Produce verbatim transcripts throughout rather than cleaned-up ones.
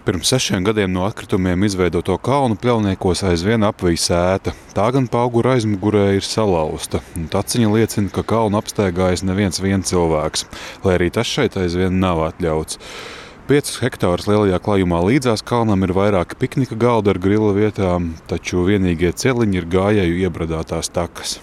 Pirms sešiem gadiem no atkritumiem izveidoto kalnu pļauniekos aizvien apvij sēta. Tā gan pa auguru aizmugurē ir salauzta. Taciņa liecina, ka kalnu apstaigājas neviens vien cilvēks, lai arī tas šeit aizvien nav atļauts. Piecus hektārus lielajā klājumā līdzās kalnam ir vairāki piknika galdi ar grila vietām, taču vienīgie celiņi ir gājēju iebradātās takas.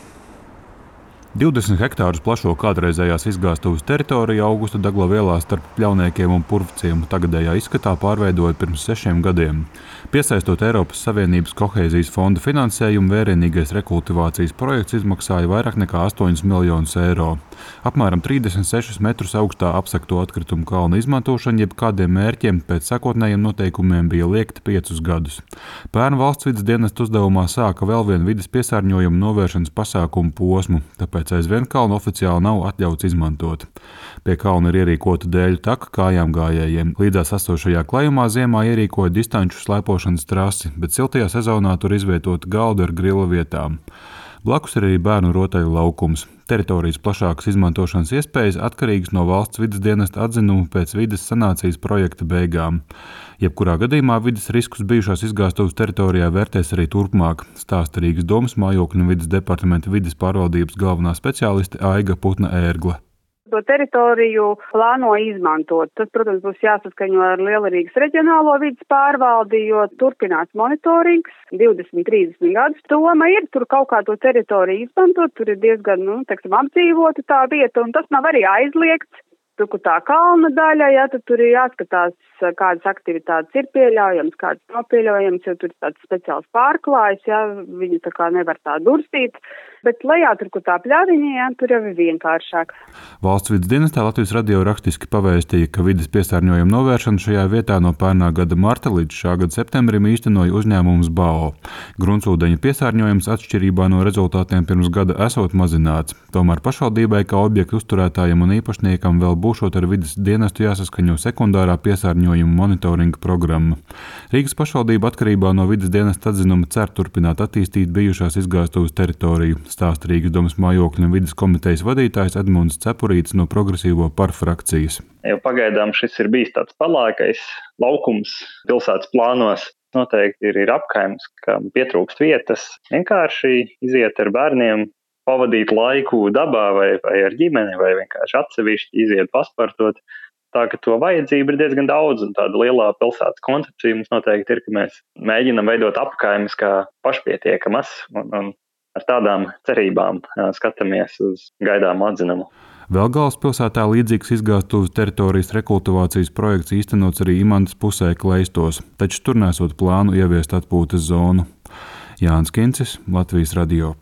divdesmit hektārus plašo kādreizējās izgāstuves teritoriju Augusta Dagla ielā starp Pļauniekiem un Purvciemu tagadējā izskatā pārveidoja pirms sešiem gadiem. Piesaistot Eiropas Savienības kohēzijas fonda finansējumu, vērienīgais rekultivācijas projekts izmaksāja vairāk nekā astoņus miljonus eiro. Apmēram trīsdesmit sešus metrus augstā apsekto atkritumu kalna izmantošana jebkādiem mērķiem pēc sākotnējiem noteikumiem bija liegta piecus gadus. Pērn valsts vides dienesta uzdevumā sāka vēl vienu vides piesārņojumu novēršanas pasākumu posmu, tāpēc aizvien kalnu oficiāli nav atļauts izmantot. Pie kalna ir ierīkota dēļu taka kājām gājējiem. Līdzās esošajā klājumā ziemā ierīkoja distanču slēpošanas trasi, bet siltajā sezonā tur izvietota galdi ar grila vietām. Blakus ir arī bērnu rotaļu laukums. Teritorijas plašākas izmantošanas iespējas atkarīgas no valsts vides dienesta atzinuma pēc vides sanācijas projekta beigām. Jebkurā gadījumā vides riskus bijušās izgāstuves teritorijā vērtēs arī turpmāk, stāsta Rīgas domas mājokļu un vides departamenta vides pārvaldības galvenā speciāliste Aiga Putna-Ērgle. To teritoriju plāno izmantot. Tas, protams, būs jāsaskaņo ar Lielrīgas reģionālo vides pārvaldi, jo turpinās monitorings divdesmit trīsdesmit gadus. Doma ir tur kaut kā to teritoriju izmantot, tur ir diezgan, nu, teiksim, apdzīvota tā vieta, un tas nav arī aizliegts. Tur, kur tā kalna daļa, ja, tad tur ir jāskatās, kādas aktivitātes ir pieļaujams, kādas nav pieļaujams, jo tur ir tāds speciāls pārklājs, ja, viņi tā kā nevar tā durstīt. Bet lejā tur, kur tā pļaviņa, ja, tur jau ir vienkāršāk. Valsts vides dienestā Latvijas radio rakstiski pavēstīja, ka vides piesārņojuma novēršana šajā vietā no pērnā gada marta līdz šā gada septembrim īstenoja uzņēmums B A O. Gruntsūdeņa piesārņojums atšķirībā no rezultātiem pirms gada esot mazināts. Tomēr pašvaldībai kā objektu uzturētājiem un īpašniekam vēl būšot ar vides dienestu jāsaskaņo sekundārā piesārņojuma monitoringa programma. Rīgas pašvaldība atkarībā no vides dienesta atzinuma cer turpināt attīstīt bijušās izgāstuves teritoriju, stāsta Rīgas domas mājokļu un vides komitejas vadītājs Edmunds Cepurītis no Progresīvo par frakcijas. Jau pagaidām šis ir bijis tāds palākais laukums pilsētas plānos. Noteikti ir, ir apkaimes, kam pietrūkst vietas, vienkārši iziet ar bērniem, pavadīt laiku dabā vai, vai ar ģimeni, vai vienkārši atsevišķi iziet paspartot. Tā ka to vajadzība ir diezgan daudz, un tāda lielā pilsētas koncepcija mums noteikti ir, ka mēs mēģinam veidot apkaimes kā pašpietiekamas, un, un ar tādām cerībām skatāmies uz gaidāmu atzinumu. Vēl galvaspilsētā līdzīgs izgāstuves teritorijas rekultivācijas projekts īstenots arī Imantas pusē Kleistos, taču tur nesot plānu ieviest atpūtas zonu. Jānis Kincis, Latvijas radio.